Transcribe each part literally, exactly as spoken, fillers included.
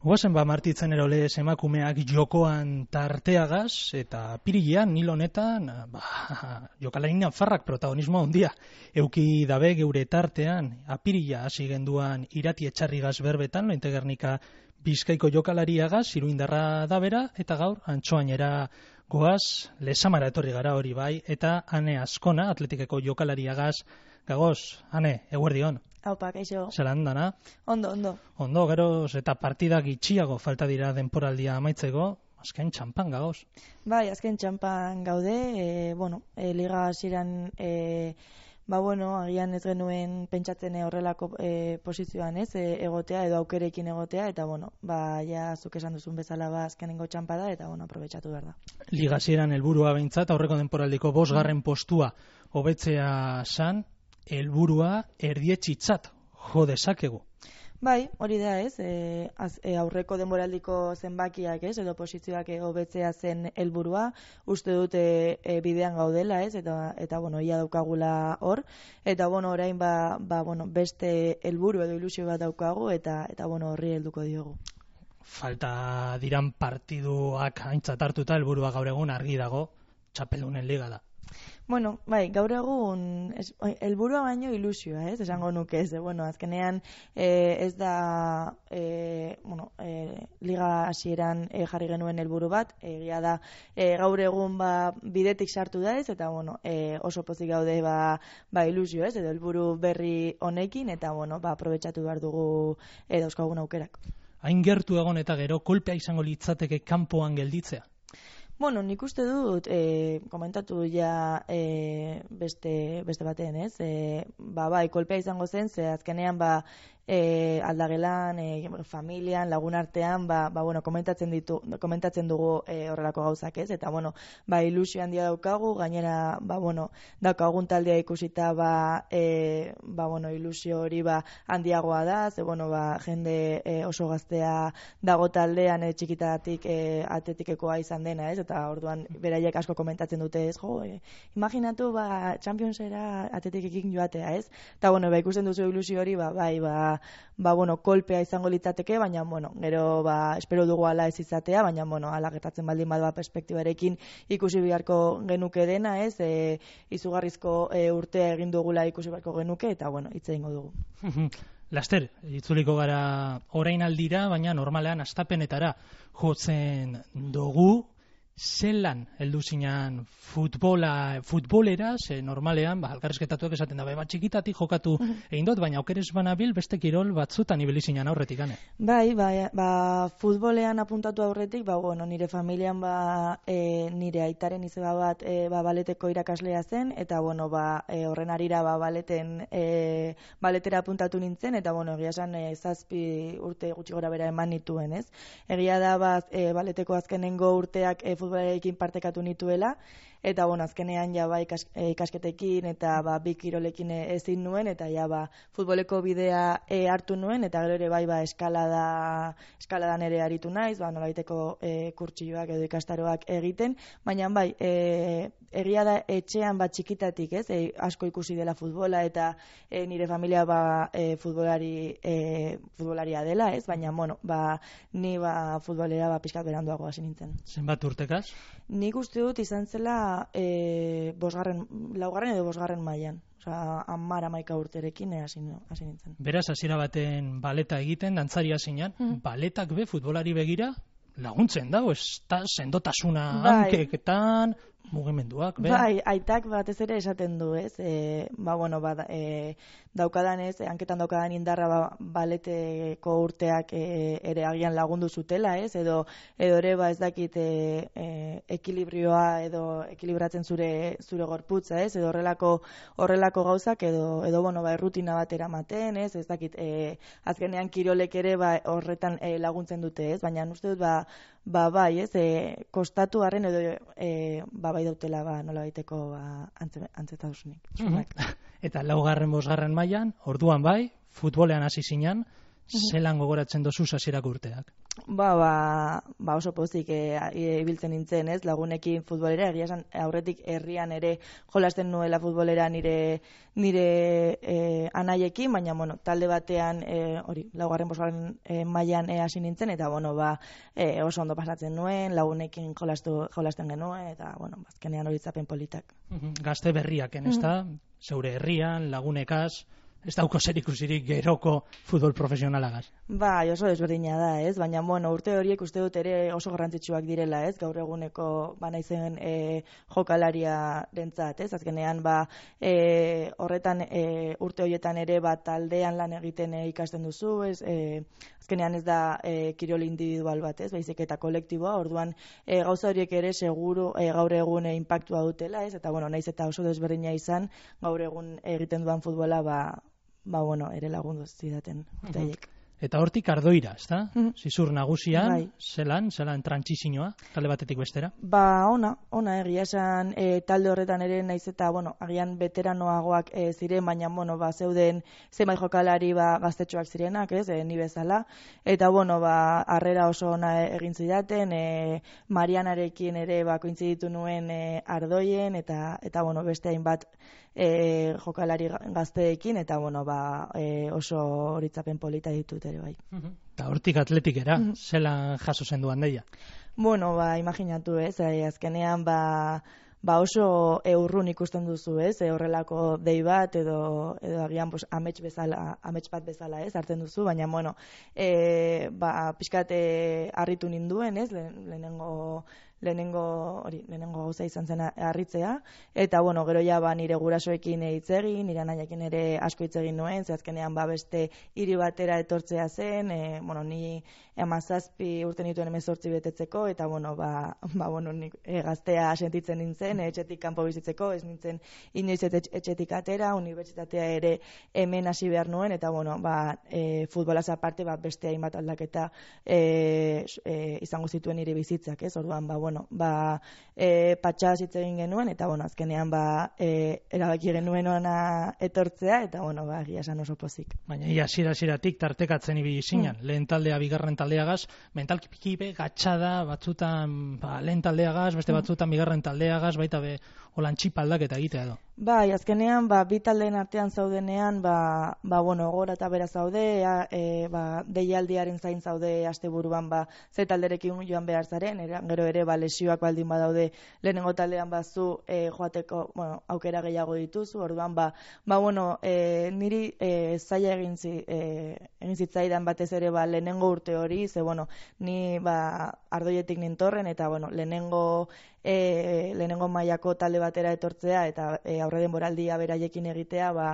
Guazen ba martitzen erolez emakumeak jokoan tarteagaz, eta pirilean, nil honetan, ba, jokalari nafarrak protagonismo handia. Euki dabe geure tartean, apirila hasi genduan irati etxarrigaz berbetan, lointegernika Bizkaiko jokalariagaz, iruindarra dabera, eta gaur, antxoainera goaz, lesamara etorri gara hori bai, eta Ane Azkona, atletikeko jokalariagaz, gagoz, Ane, eguerdion. Haupa, kaixo. Zeran dana? Ondo, ondo. Ondo, geroz, eta partida gitxiago falta dira denporaldia amaitzeko, azken txampan gagoz. Bai, azken txampan gaude, e, bueno, e, liga hasieran, e, ba bueno, agian ez genuen pentsatzen horrelako e, posizioan ez, e, egotea edo aukerekin egotea, eta bueno, ba, ja, zuk esan duzun bezala ba, azkenengo txampa da, eta bueno, aprobetxatu behar da. Liga hasieran helburua behintzat, aurreko denporaldiko bosgarren postua hobetzea san, helburua erdietxitzat jo dezakegu. Bai, hori da ez, e, az, e, aurreko denboraldiko zenbakiak ez, edo posizioak e, hobetzea zen helburua, uste dute e, bidean gaudela ez, eta, eta bueno, ia daukagula hor, eta bueno, orain ba, ba, bueno, beste helburu edo ilusio bat daukagu, eta, eta bueno, horri helduko diogu. Falta diran partiduak aintzat hartuta helburua gaur egun argi dago, txapelunen liga da. Bueno, bai, gaur egun helburua baino ilusioa, ez, esango nuke ez, bueno, azkenean eh, ez da eh, bueno, eh, liga hasieran eh, jarri genuen helburu bat, egia da eh, gaur egun ba, bidetik sartu da ez, eta bueno, eh, oso pozik gaude ba, ba ilusio ez, edo helburu berri honekin, eta bueno, ba, aprobetxatu behar dugu eh, dauzkagun aukerak. Hain gertu egon eta gero kolpea izango litzateke kanpoan gelditzea? Bueno, nik uste dut, e, komentatu ja e, beste, beste batean, ez? E, ba, bai, kolpea izango zen, ze azkenean, ba, e, aldagelan, e, familian, lagun artean, ba, ba, bueno, komentatzen ditu, komentatzen dugu e, horrelako gauzak, ez? Eta, bueno, ba, ilusio handia daukagu, gainera, ba, bueno, daukagun taldea ikusita, ba, e, ba, bueno, ilusio hori, ba, handiagoa da, ze, bueno, ba, jende e, oso gaztea dago taldean, e, txikitatik e, atletikekoa izan dena, ez? Eta orduan beraiek asko komentatzen dute ez, jo, e, imaginatu ba Championsera atletikekin joatea, ez? Eta bueno, ba ikusten duzu ilusio hori, ba bai, ba, ba bueno, kolpea izango litzateke, baina bueno, gero ba espero dugu hala ez izatea, baina bueno, hala gertatzen baldin bada perspektibarekin ikusi beharko genuke dena, ez? E, izugarrizko e, urtea egin dugula ikusi beharko genuke, eta bueno, hitz egingo dugu. Laster, itzuliko gara orain aldira, baina normalean astapenetara jotzen dugu. Zelan heldu zinan futbola, futbolera, ze normalean, ba, alkarrizketatuak esaten da, bat txikitatik jokatu egin dut, baina aukeres banabil beste kirol batzutan ibili zinan aurretik, gane? Bai, bai, ba, futbolean apuntatu aurretik, ba, bueno, nire familian, ba, e, nire aitaren izeba bat, e, ba, baleteko irakaslea zen, eta, bueno, ba, e, horren arira, ba, baleten, e, baletera apuntatu nintzen, eta, bueno, egia esan, e, zazpi urte gutxi gora bera eman nituen, ez? Egia da, ba, e, baleteko azkenengo urteak, e, futbolarekin partekatu nituela, eta bueno, azkenean ja ba ikas, e, ikasketekin eta ba bi kirolekin ezin nuen, eta ja ba futboleko bidea e, hartu nuen, eta gero ere bai ba eskalada eskaladan ere aritu naiz, ba nolabaiteko e, kurtsilloak edo ikastaroak egiten, baina bai, e, egia da etxean bat txikitatik, ez? E, asko ikusi dela futbola, eta e, nire familia ba e, futbolari e, futbolaria dela, ez? Baina bueno, ba ni ba futbolera ba pizkat beranduago hasi nintzen. Zenbat urtekaz? Nik uste dut izan zela e, bosgarren, laugarren edo bosgarren mailan. Osea, hamar hamaika urterekin hasi hasi nintzen. Beraz, hasiera baten baleta egiten, dantzaria zinan, mm. baletak be futbolari begira laguntzen dago, ez da sendotasuna bai. Hankeketan, mugimenduak, be? Bai, aitak batez ere esaten du, ez? E, ba, bueno, ba, e, daukadan ez, hanketan daukadan indarra ba, baleteko urteak e, ere agian lagundu zutela, ez? Edo, edo ere, ba, ez dakit e, e, ekilibrioa edo ekilibratzen zure zure gorputza, ez? Edo horrelako horrelako gauzak edo, edo bueno, ba, errutina bat eramaten, ez? Ez dakit, e, azkenean kirolek ere ba, horretan e, laguntzen dute, ez? Baina uste dut, ba, ba, bai, ez? E, kostatu harren edo, e, ba, bai dautela ba nola baiteko ba antzetasunik. Mm-hmm. Eta laugarren bosgarren mailan, orduan bai, futbolean hasi zinan, zelan gogoratzen dozu hasierako urteak? Ba, ba, ba oso pozik e, e, ibiltzen nintzen, ez, lagunekin futbolera, egia esan aurretik herrian ere jolasten nuela futbolera nire nire e, anaiekin, baina, bueno, talde batean, e, hori, laugarren bosgarren e, mailan e, hasi nintzen, eta, bueno, ba, e, oso ondo pasatzen nuen, lagunekin jolastu, jolasten genuen, eta, bueno, azkenean hori itzapen politak. Gazte berriaken, ez da? Zeure herrian, lagunekaz, ez dauko zerikusirik geroko futbol profesionalagaz. Ba, oso desberdina da, ez? Baina, bueno, urte horiek uste dut ere oso garrantzitsuak direla, ez? Gaur eguneko, ba, naizen e, jokalaria rentzat, ez? Azkenean, ba, e, horretan e, urte horietan ere, ba, taldean lan egiten e, ikasten duzu, ez? E, azkenean ez da e, kirol individual bat, ez? Baizik eta kolektiboa, orduan e, gauza horiek ere seguru e, gaur egun e, inpaktua dutela, ez? Eta, bueno, naiz eta oso desberdina izan, gaur egun egiten duan futbola, ba, ba, bueno, ere lagundu zidaten urteiek. Eta hortik ardoira, ez da? Mm. Zizur nagusian, Bai. zelan, zelan trantsizioa, talde batetik bestera? Ba, ona, ona, egia esan e, talde horretan ere naiz eta, bueno, agian veteranoagoak e, ziren, baina, bueno, ba, zeuden zenbait jokalari ba, gaztetxoak zirenak, ez, e, ni bezala, eta, bueno, ba, harrera oso ona egin zidaten, e, Marianarekin ere, ba, kointziditu nuen e, ardoien, eta, eta, bueno, beste hainbat E, jokalari gazteekin, eta bueno, ba, e, oso horitzapen polita ditut ere bai. Eta hortik atletikera, uh -huh. zelan jaso zen duan deia? Bueno, ba, imaginatu, ez, e, azkenean, ba, ba oso eurrun ikusten duzu, ez, e, horrelako dei bat, edo, edo agian, pues, amets bezala, amets bat bezala, ez, hartzen duzu, baina, bueno, e, ba, pixkate harritu ninduen, ez, le, lehenengo, lehenengo hori lehenengo gauza izan zen harritzea, eta bueno, gero ja ba nire gurasoekin hitz egin, nire anaiekin ere asko hitz egin nuen, ze azkenean ba beste hiri batera etortzea zen, e, bueno, ni hamazazpi urte nituen hemezortzi betetzeko, eta bueno, ba, ba bueno, ni e, gaztea sentitzen nintzen, e, etxetik kanpo bizitzeko, ez nintzen inoiz etxetik atera, unibertsitatea ere hemen hasi behar nuen, eta bueno, ba, e, futbolaz aparte, ba, beste hainbat aldaketa e, e, izango zituen nire bizitzak, ez, orduan, ba, bueno, ba, e, patxaz hitz egin genuen, eta, bueno, azkenean, ba, e, erabaki genuen ona etortzea, eta, bueno, ba, egia esan oso pozik. Baina, ia, zira-ziratik tartekatzen ibili zinen, mm. lehen taldea, bigarren taldeagaz, mentalki pikibe, gatxada, batzutan, ba, lehen taldeagaz, beste batzutan, bigarren taldeagaz, baita be, holan txipaldak eta egitea edo. Bai, azkenean, ba, bi taldeen artean zaudenean, ba, ba bueno, gora eta bera zaude, e, ba, deialdiaren zain zaude asteburuan, ba, ze talderekin joan behar zaren, era, gero ere, ba, lesioak baldin badaude, lehenengo taldean bazu e, joateko, bueno, aukera gehiago dituzu, orduan, ba, ba bueno, e, niri e, zaila egin, zi, e, egin zitzaidan batez ere, ba, lehenengo urte hori, ze, bueno, ni, ba, ardoietik nintorren, eta, bueno, lehenengo, e, lehenengo mailako talde batera etortzea, eta e, aurre denboraldia beraiekin egitea, ba,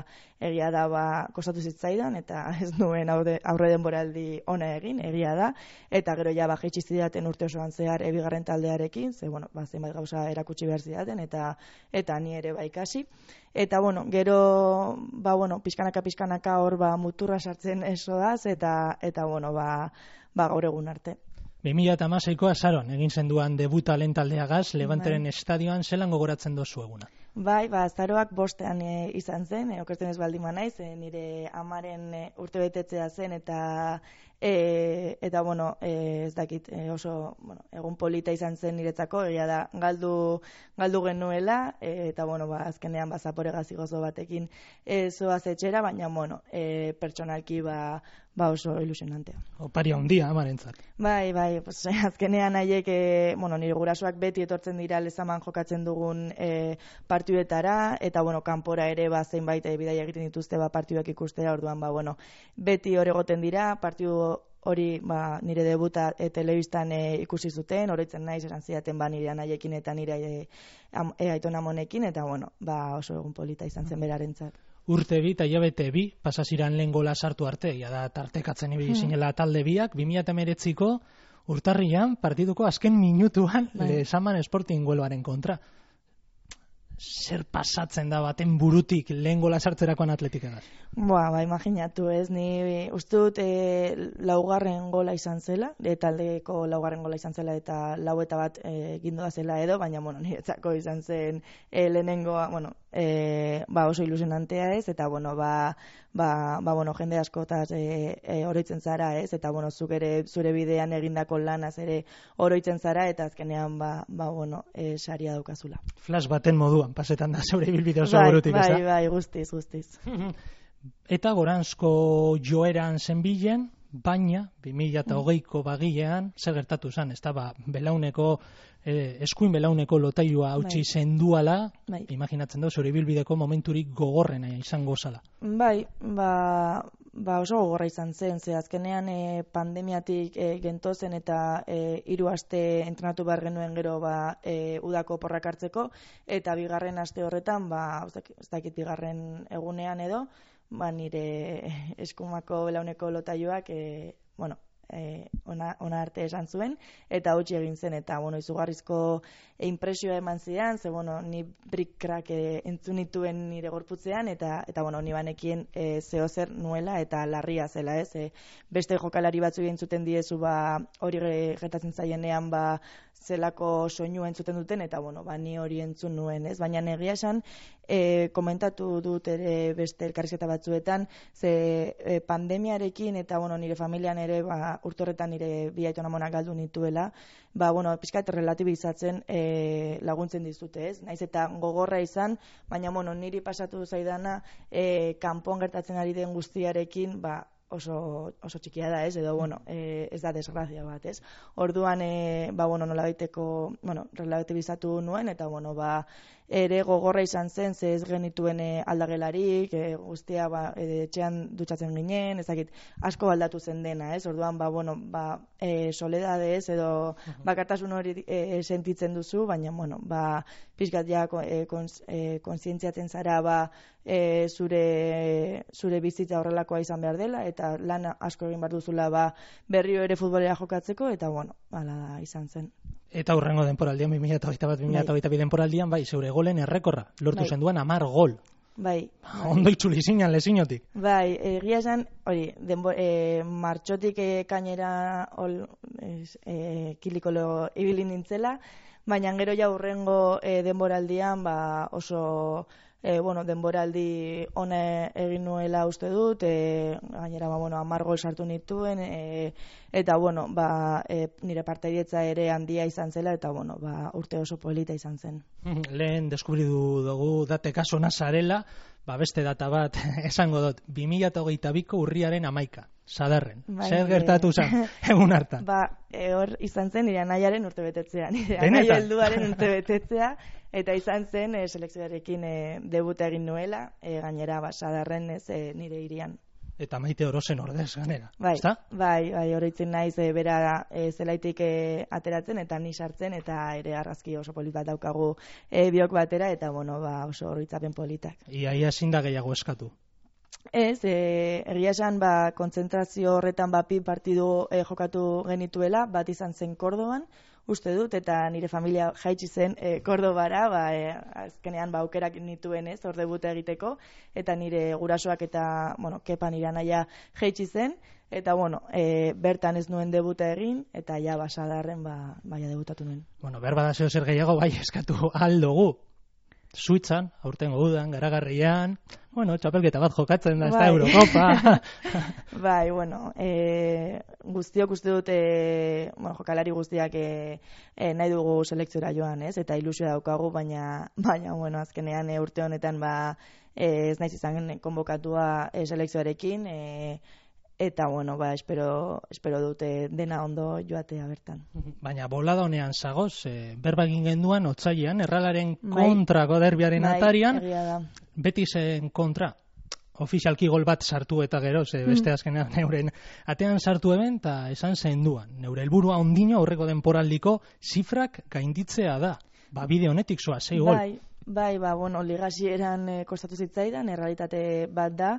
egia da, ba, kostatu zitzaidan, eta ez nuen aurre denboraldi ona egin, egia da, eta gero ja, ba, jaitsi zidaten urte osoan zehar ebigarren taldearekin, ze, bueno, ba, zenbait gauza erakutsi behar zidaten, eta, eta ni ere ba ikasi. Eta, bueno, gero, ba, bueno, pixkanaka, pixkanaka hor, ba, muturra sartzen esoaz, eta, eta, bueno, ba, ba, gaur egun arte. bi mila hamaseiko azaron egin zenduan debuta lehen taldeagaz, Levanteren estadioan, zelan gogoratzen dozu eguna? Bai, ba, azaroak bostean e, izan zen, e, okertzen ez baldin naiz, e, nire amaren e, urte betetzea zen, eta e, eta, bueno, e, ez dakit, e, oso, bueno, egun polita izan zen niretzako, egia da, galdu, galdu genuela, e, eta, bueno, ba, azkenean, ba, zapore gazigozo batekin e, zoaz etxera, baina, bueno, e, pertsonalki, ba, ba oso ilusionantea. Oparia handia amarentzat. Bai, bai, pues, azkenean haiek, e, bueno, nire gurasoak beti etortzen dira lezaman jokatzen dugun e, partiduetara, eta, bueno, kanpora ere, ba, zenbait e, bidaia egiten dituzte, ba, partiduak ikustera, orduan, ba, bueno, beti hor egoten dira, partidu hori, ba, nire debuta e, telebistan e, ikusi zuten, oroitzen naiz esan zidaten, ba, nire anaiekin eta nire e, am, e, aiton amonekin, eta, bueno, ba, oso egun polita izan zen berarentzat. Urte bi eta hilabete bi, pasaziran lehen gola sartu arte, ja da tartekatzen ibili zinela talde biak, bi mila hemeretziko urtarrian partiduko azken minutuan bai. Lezaman Sporting Huelvaren kontra. zer pasatzen da baten burutik lehen gola sartzerakoan Atletikagaz? Ba, ba, imaginatu ez, ni uste dut e, laugarren gola izan zela, e, taldeko laugarren gola izan zela eta lau eta bat e, gindoa zela edo, baina, bueno, niretzako izan zen e, lehenengoa, bueno, e, ba, oso ilusionantea ez, eta, bueno, ba, ba, ba bueno, jende askotaz e, e, oroitzen zara ez, eta, bueno, zuk ere zure bidean egindako lanaz ere oroitzen zara, eta azkenean, ba, ba bueno, e, saria daukazula. Flash baten moduan, pasetan da zeure bilbide oso bai, burutik, ez da? Bai, bai, guztiz, guztiz. Eta goranzko joeran zenbilen, baina bi mila hogeiko bagilean zer gertatu zen, ez da, ba, belauneko, eh, eskuin belauneko lotailua hautsi zenduala, bai. Imaginatzen da, zure bilbideko momenturik gogorrena izango zala. Bai, ba, ba oso gogorra izan zen, ze azkenean e, pandemiatik e, gentozen eta e, hiru aste entrenatu behar genuen gero ba, e, udako porrak hartzeko, eta bigarren aste horretan, ba, ez dakit bigarren egunean edo, ba, nire eskumako belauneko lotailuak, e, bueno, e, ona, ona arte esan zuen, eta hautsi egin zen, eta, bueno, izugarrizko e, impresioa eman zidan, ze, bueno, ni brick-crack e, entzun nituen nire gorputzean, eta, eta bueno, ni banekien e, zeo zer nuela, eta larria zela, ez, e, beste jokalari batzu entzuten diezu, ba, hori gertatzen zaienean, ba, zelako soinu entzuten duten, eta, bueno, ba, ni hori entzun nuen, ez? Baina egia esan, e, komentatu dut ere beste elkarrizketa batzuetan, ze e, pandemiarekin, eta, bueno, nire familian ere, ba, urte horretan nire bi aitonamonak galdu nituela, ba, bueno, pixkat relatibizatzen e, laguntzen dizute, ez? Naiz eta gogorra izan, baina, bueno, niri pasatu zaidana, e, kanpoan gertatzen ari den guztiarekin, ba, oso, oso txikia da, ez, edo, bueno, e, ez da desgrazia bat, ez. Orduan, e, ba, bueno, nola baiteko, bueno, relativizatu nuen, eta, bueno, ba, ere gogorra izan zen, ze ez genituen e, aldagelarik, e, guztia, ba, e, etxean dutxatzen ginen, ezakit, asko aldatu zen dena, ez, orduan, ba, bueno, ba, e, soledadez, edo, bakartasun hori e, sentitzen duzu, baina, bueno, ba, pixkat ja, e, kons, e, konsientziatzen zara, ba, e, zure, zure bizitza horrelakoa izan behar dela, eta lan asko egin behar duzula, ba, berriro ere futbolera jokatzeko, eta, bueno, hala da izan zen. Eta hurrengo denporaldian, bi mila hogeita bat bi mila hogeita bi denporaldian, bai, zeure golen errekorra, lortu zen duen hamar gol. Bai, bai. Ondo itzuli zinan lezinotik. Bai, egia esan, hori, denbo, e, martxotik e, kainera ol, es, e, kilikolo ibili nintzela, baina gero ja hurrengo e, denboraldian, ba, oso... E, bueno, denboraldi ona egin nuela uste dut, e, gainera, ba, bueno, hamar gol sartu nituen, e, eta, bueno, ba, e, nire partaietza ere handia izan zela, eta, bueno, ba, urte oso polita izan zen. Lehen deskubridu dugu date kaso nazarela, ba, beste data bat esango dut, bi mila hogeita biko urriaren hamaika, Sadarren. Bai, zer gertatu zen, egun hartan? Ba, e, hor izan zen nire anaiaren urte betetzea, nire anaia helduaren urte betetzea, eta izan zen e, selekzioarekin e, debuta egin nuela, e, gainera ba, Sadarren ez e, nire hirian. Eta Maite Orozen ordez ganera, bai, ezta? Bai, bai, oroitzen naiz e, bera e, zelaitik e, ateratzen eta ni sartzen, eta ere argazki oso polit bat daukagu e, biok batera, eta bueno, ba, oso oroitzapen politak. Ia, ia ezin da gehiago eskatu. Ez, e, egia esan, ba, kontzentrazio horretan ba, pi partidu e, jokatu genituela, bat izan zen Kordoban, uste dut, eta nire familia jaitsi zen e, Kordobara, ba, e, azkenean ba, aukerak nituen ez, hor debuta egiteko, eta nire gurasoak eta, bueno, Kepa nire anaia jaitsi zen, eta, bueno, e, bertan ez nuen debuta egin, eta ja, ba, Sadarren, ba, baia debutatu nuen. Bueno, behar bada zeo zer gehiago, bai, eskatu aldugu. Suitzan, aurtengo udan, garagarrian, bueno, txapelketa bat jokatzen da, ez da Eurocopa. Bai, bueno, e, guztiok uste dut, e, bueno, jokalari guztiak e, e, nahi dugu selekziora joan, ez? Eta ilusioa daukagu, baina, baina, bueno, azkenean e, urte honetan, ba, e, ez naiz izan konbokatua e, selekzioarekin, e, eta, bueno, ba, espero, espero dute dena ondo joatea bertan. Baina bolada honean zagoz, e, berba egin genduan, otsailean, Erralaren kontrako derbiaren bai, atarian, Betisen kontra, ofizialki gol bat sartu eta gero, ze beste azkenean neuren atean sartu eben, eta esan zenduan, neure helburua ondino aurreko denporaldiko zifrak gainditzea da. Ba, bide honetik zoa, zei gol. Bai. Bai, ba, bueno, ligasieran e, kostatu zitzaidan, errealitate bat da,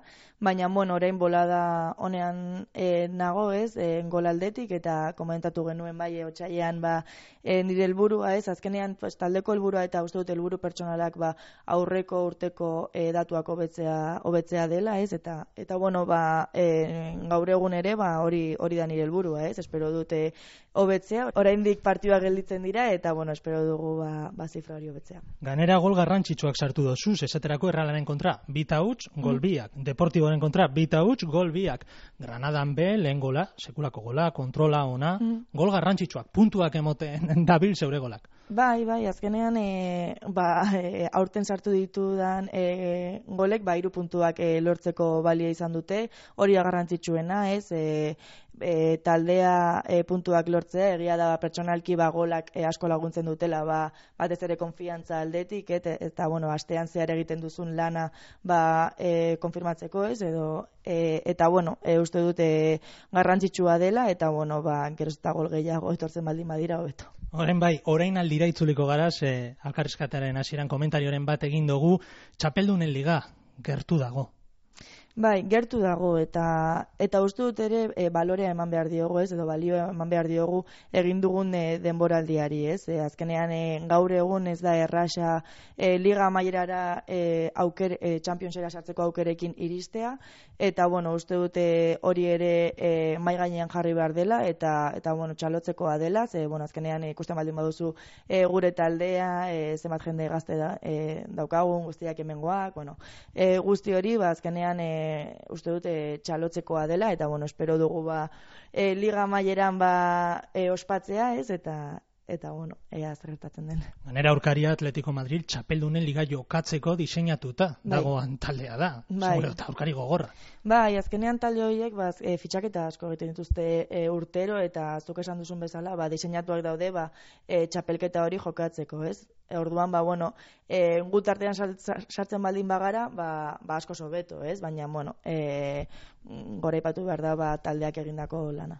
baina, bueno, orain bolada honean e, nago, ez, e, golaldetik, eta komentatu genuen bai, e, otsailean, ba, e, nire helburua, ez, azkenean, pues, taldeko helburua eta uste dut helburu pertsonalak, ba, aurreko urteko e, datuak hobetzea, hobetzea dela, ez, eta, eta bueno, ba, e, gaur egun ere, ba, hori, hori da nire helburua, ez, espero dute hobetzea, oraindik partidua gelditzen dira, eta, bueno, espero dugu, ba, ba zifra hori hobetzea. Ganera gol garrantzitsuak sartu dozuz, esaterako Errealaren kontra, bita huts, gol biak. Deportiboaren kontra, bita huts, gol biak. Granadan be, lehen gola, sekulako gola, kontrola ona, mm. gol garrantzitsuak, puntuak emoten dabil zeure golak. Bai, bai, azkenean e, ba, e, aurten sartu ditudan e, golek, ba, hiru puntuak e, lortzeko balia izan dute, hori garrantzitsuena, ez, e, e, taldea e, puntuak lortzea, egia da pertsonalki ba, golak e, asko laguntzen dutela, ba, batez ere konfiantza aldetik, et, eta, bueno, astean zehar egiten duzun lana ba, e, konfirmatzeko, ez, edo, e, eta, bueno, e, uste dute garrantzitsua dela, eta, bueno, ba, geroz eta gol gehiago etortzen baldin badira hobeto. Orain bai, orain aldira itzuliko garaz, eh, alkarrizkataren hasieran komentarioren bat egin dugu, txapeldunen liga gertu dago. Bai, gertu dago, eta eta uste dut ere e, balorea eman behar diogu, ez, edo balio eman behar diogu egin dugun e, denboraldiari, ez, e, azkenean e, gaur egun ez da erraxa e, liga amaierara e, auker, e, Championsera sartzeko aukerekin iristea, eta, bueno, uste dute hori ere e, mai gainean jarri behar dela, eta, eta bueno, txalotzekoa dela, ze, bueno, azkenean e, ikusten baldin baduzu e, gure taldea, e, zenbat jende gazte da, e, daukagun, guztiak hemengoak, bueno, e, guzti hori, ba, azkenean e, uste dute txalotzekoa dela, eta, bueno, espero dugu, ba, e, liga maileran, ba, e, ospatzea, ez, eta, eta, bueno, ea zer gertatzen den. Ganera aurkaria Atletico Madrid txapeldunen liga jokatzeko diseinatuta bai. dagoan taldea da, bai. seguro, eta aurkari gogorra. Bai, azkenean talde horiek, ba, e, fitxaketa asko egiten dituzte e, urtero, eta zuk esan duzun bezala, ba, diseinatuak daude, ba, e, txapelketa hori jokatzeko, ez? E, orduan, ba, bueno, e, gut artean sartzen baldin bagara, ba, ba asko sobeto, ez? Baina, bueno, e, goraipatu behar da, ba, taldeak egindako lana.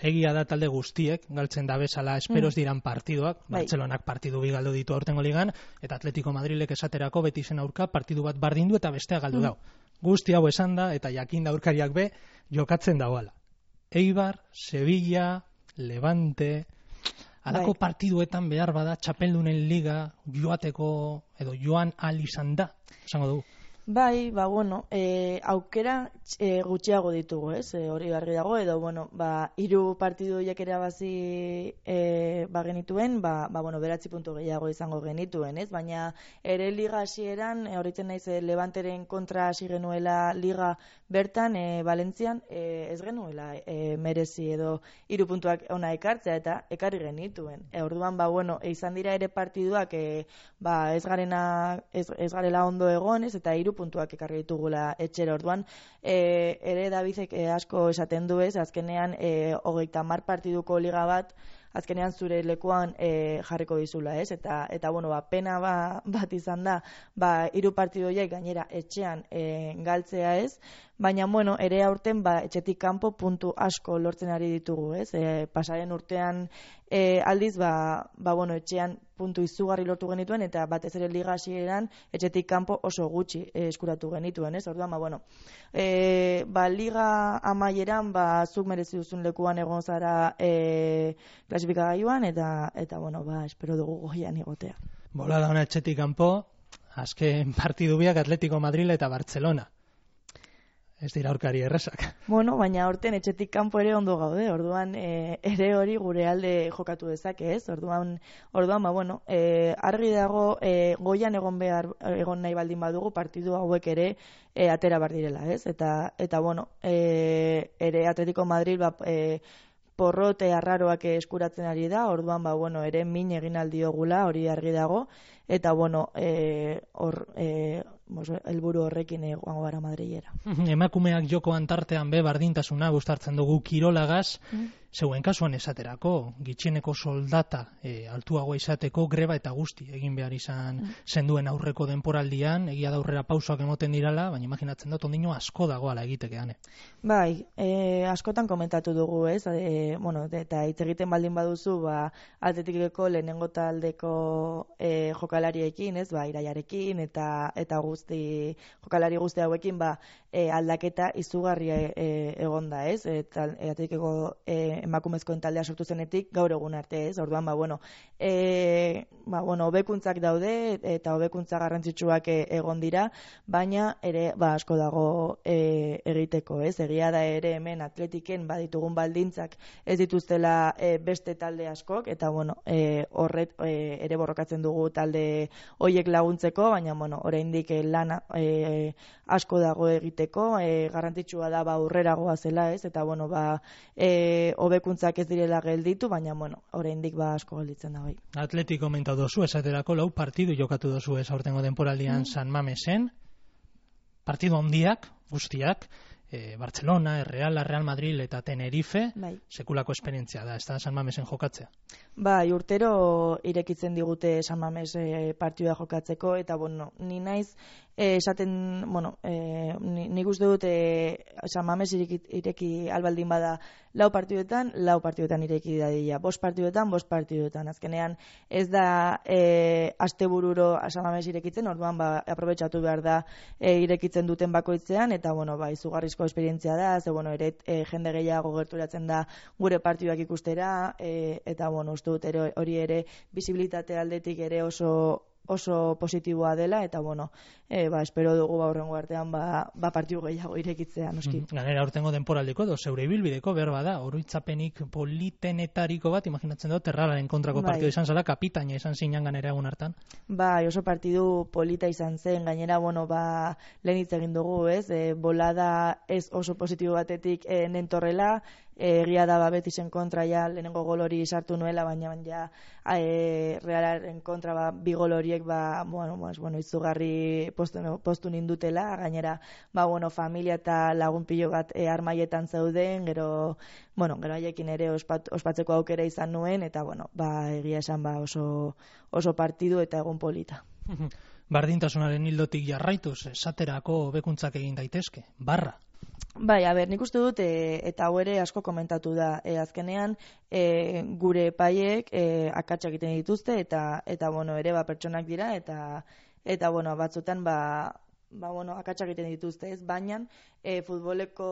Egia da talde guztiek, galtzen da bezala esperos diran partiduak, bai. Bartzelonak partidu bi galdu ditu aurtengo ligan, eta Atletico Madrilek esaterako beti zen aurka partidu bat bardindu eta bestea galdu dau. Guzti hau esan da, eta jakin da aurkariak be, jokatzen dauala. Eibar, Sevilla, Levante, alako bai. Partiduetan behar bada txapeldunen liga joateko, edo joan ahal izan da, esango dugu. Bai, ba, bueno, e, aukera e, gutxiago ditugu, ez, e, hori argi dago, edo, bueno, ba, hiru partidu horiek erabazi e, ba, genituen, ba, ba, bueno, beratzi puntu gehiago izango genituen, ez, baina ere liga hasieran, e, horitzen naiz, e, Levanteren kontra hasi genuela liga bertan, e, Valentzian, e, ez genuela e, merezi edo hiru puntuak ona ekartzea, eta ekarri genituen. E, orduan, ba, bueno, e, izan dira ere partiduak, e, ba, ez garena, ez, ez garela ondo egon, ez, eta hiru puntuak ekarri ditugula etxera. Orduan, e, ere Davidek e, asko esaten du, ez, azkenean e, hogeita hamar partiduko liga bat, azkenean zure lekuan e, jarriko dizula, ez? Eta, eta bueno, ba, pena ba, bat izan da, ba, hiru partidu horiek gainera etxean e, galtzea, ez? Baina, bueno, ere aurten, ba, etxetik kanpo puntu asko lortzen ari ditugu, ez? E, pasaren urtean e, aldiz, ba, ba, bueno, etxean puntu izugarri lortu genituen, eta batez ere liga hasieran etxetik kanpo oso gutxi e, eskuratu genituen, ez? Orduan, ba, bueno, e, ba, liga amaieran, ba, zuk merezi duzun lekuan egon zara e, klasifikagailuan, eta, eta, bueno, ba, espero dugu goian igotea. Bola da ona etxetik kanpo, azken partidu biak Atletico Madrid eta Barcelona. Ez dira aurkari errazak. Bueno, baina aurten etxetik kanpo ere ondo gaude, orduan e, ere hori gure alde jokatu dezake, ez? Orduan, orduan ba, bueno, e, argi dago e, goian egon behar, egon nahi baldin badugu partidu hauek ere e, atera bar direla, ez? Eta, eta bueno, e, ere Atletico Madrid, ba, e, porrote arraroak eskuratzen ari da, orduan, ba, bueno, ere min egin aldiogula, hori argi dago, eta, bueno, e, hor, e, helburu horrekin egongo gara Madrilera. Emakumeak jokoan tartean be bardintasuna gustartzen dugu kirolagaz, mm. zeuen kasuan esaterako, gitxieneko soldata e, altuagoa izateko greba eta guzti egin behar izan mm. zenduen aurreko denporaldian, egia da aurrera pausoak emoten dirala, baina imaginatzen dut ondino asko dagoala egitekean. Bai, e, askotan komentatu dugu, ez? E, bueno, eta hitz egiten baldin baduzu, ba, Atletikeko lehenengo taldeko e, jokalariekin, ez? Ba, Iraiarekin eta eta guzti jokalari guzti hauekin, ba, e, aldaketa izugarria e, egonda, ez? Eta Atletikeko e, emakumezkoen taldea sortu zenetik gaur egun arte, ez? Orduan, ba, bueno, e, ba, bueno, hobekuntzak daude eta hobekuntza garrantzitsuak egon dira, baina ere, ba, asko dago e, egiteko, ez? Egia da ere hemen Atletiken baditugun baldintzak ez dituztela e, beste talde askok, eta, bueno, e, horret e, ere borrokatzen dugu talde hoiek laguntzeko, baina, bueno, oraindik lana e, asko dago egiteko, e, garrantzitsua da, ba, aurreragoa zela, ez? Eta, bueno, ba, e, hobekuntzak ez direla gelditu, baina, bueno, oraindik ba asko gelditzen da bai. Atleti komentatu dozu, esaterako lau partidu jokatu dozu ez aurtengo denporaldian mm. San Mamesen, partidu handiak, guztiak, e, Barcelona, Real, Real Madrid eta Tenerife, bai. Sekulako esperientzia da, ez da San Mamesen jokatzea. Bai, urtero irekitzen digute San Mames e, partidua jokatzeko, eta, bueno, ni naiz E, esaten, bueno, e, nik uste dut e, San Mames ireki, ireki albaldin bada lau partiduetan, lau partiduetan ireki dadila. Bost partiduetan, bost partiduetan. Azkenean ez da e, astebururo San Mames irekitzen, orduan ba, aprobetxatu behar da e, irekitzen duten bakoitzean, eta, bueno, ba, izugarrizko esperientzia da, ze, bueno, ere e, jende gehiago gerturatzen da gure partiduak ikustera, e, eta, bueno, uste dut ere, hori ere visibilitate aldetik ere oso oso positiboa dela, eta, bueno, e, ba, espero dugu ba, horrengo artean ba, ba partidu gehiago irekitzea, noski. Mm, ganera urtengo denporaldeko edo zeure ibilbideko berba da, oroitzapenik politenetariko bat, imaginatzen dut, Erralaren kontrako bai. Partidu izan zela, kapitaina izan zinan ganera egun hartan. Bai, oso partidu polita izan zen, gainera, bueno, ba, lehen hitz egin dugu, ez, e, bolada ez oso positibo batetik e, nentorrela, egia da ba, Betisen kontra ja lehenengo gol hori sartu nuela, baina ja e, Realaren kontra ba, bi gol horiek ba, bueno, pues, bueno, izugarri postu, no, postu nindutela, gainera ba, bueno, familia eta lagun pilo bat e, armaietan zeuden, gero, bueno, gero haiekin ere ospat, ospatzeko aukera izan nuen, eta, bueno, ba, egia esan ba, oso, oso partidu eta egun polita. Bardintasunaren hildotik jarraituz, esaterako hobekuntzak egin daitezke, barra. Bai, a ber, nik uste dut, e, eta hau ere asko komentatu da, e, azkenean e, gure epaiek e, akatsak egiten dituzte, eta, eta bueno, ere ba, pertsonak dira, eta, eta bueno, batzutan ba, ba, bueno, akatsak egiten dituzte, ez, baina e, futboleko,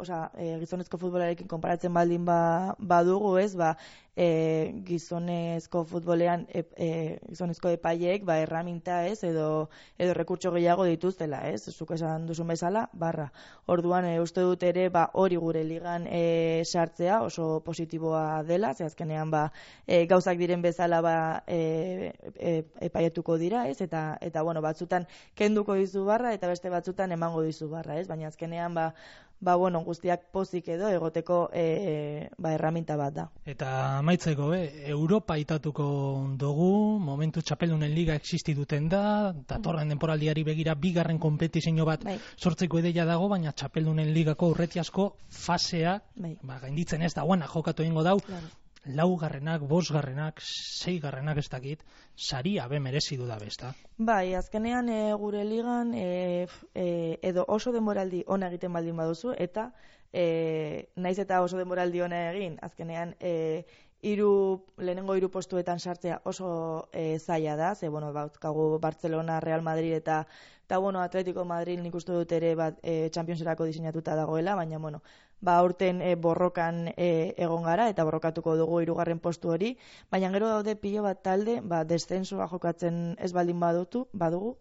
osea, e, gizonezko futbolarekin konparatzen baldin ba, badugu, ez, ba, e, gizonezko futbolean e, e, gizonezko epaiek ba, erraminta, ez, edo, edo rekurtso gehiago dituztela, ez, zuk esan duzun bezala, barra. Orduan, e, uste dut ere, ba, hori gure ligan e, sartzea oso positiboa dela, ze azkenean, ba, e, gauzak diren bezala, ba, e, e, epaietuko dira, ez, eta, eta, bueno, batzutan kenduko dizu barra, eta beste batzutan emango dizu barra, ez, baina azkenean, ba, ba, bueno, guztiak pozik edo egoteko e, ba, erraminta bat da. Eta amaitzeko, be, Europa itatuko dugu, momentu txapeldunen liga existituten da, datorren denporaldiari begira bigarren kompetizio bat bai. Sortzeko ideia dago, baina txapeldunen ligako urretiazko fasea, bai. Ba, gainditzen ez da, guana jokatu egingo dau, claro. Laugarrenak, bosgarrenak, seigarrenak ez dakit, saria be merezidu da besta. Bai, azkenean e, gure ligan e, e, edo oso denboraldi ona egiten baldin baduzu, eta e, naiz eta oso denboraldi ona egin, azkenean e, iru, lehenengo hiru postuetan sartzea oso e, zaila da, ze, bueno, bautkagu Barcelona, Real Madrid eta eta, bueno, Atletico Madrid nik uste dut ere bat, e, Championserako diseinatuta dagoela, baina, bueno, ba, urten e, borrokan e, egon gara, eta borrokatuko dugu hirugarren postu hori, baina gero daude pilo bat talde, ba, descensoa jokatzen ez baldin badutu, badugu,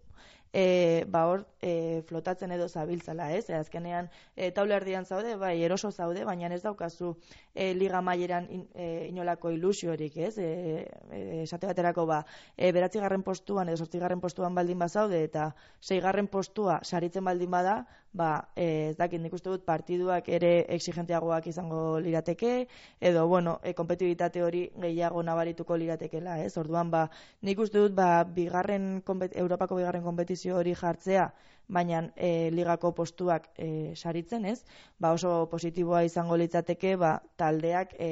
E, ba hor e, flotatzen edo zabiltzala, ez? E, azkenean e, taula erdian zaude, bai, eroso zaude, baina ez daukazu e, liga maileran in, e, inolako ilusiorik, ez? E, e, esate baterako ba, e, beratzigarren postuan edo zortzigarren postuan baldin bazaude eta seigarren postua saritzen baldin bada, ba, e, ez dakit, nik uste dut partiduak ere exigenteagoak izango lirateke, edo, bueno, e, kompetibitate hori gehiago nabarituko liratekela, ez? Orduan, ba, nik uste dut, ba, bigarren, Europako bigarren kompetizio hori jartzea, baina e, ligako postuak e, saritzen, ez? Ba oso positiboa izango litzateke, ba taldeak e,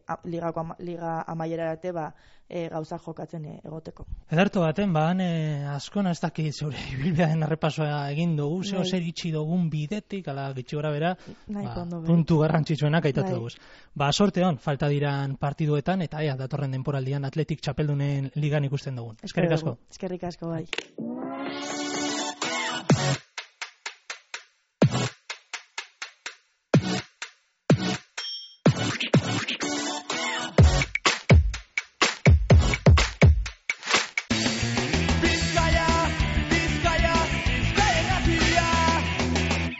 a, ligako ama, liga amaierarate ba e, gauza jokatzen e, egoteko. Ederto baten, ba, e, askona ez dakit zeure ibilbidearen errepasoa egin dugu, zeo zer itxi dugun bidetik, ala gitxi gora bera, ba, puntu garrantzitsuenak aitatu dugu. Ba, sorte hon, falta diran partiduetan, eta ea, datorren denporaldian Atletik txapeldunen ligan ikusten dugun. Eskerrik asko. Eskerrik asko, bai.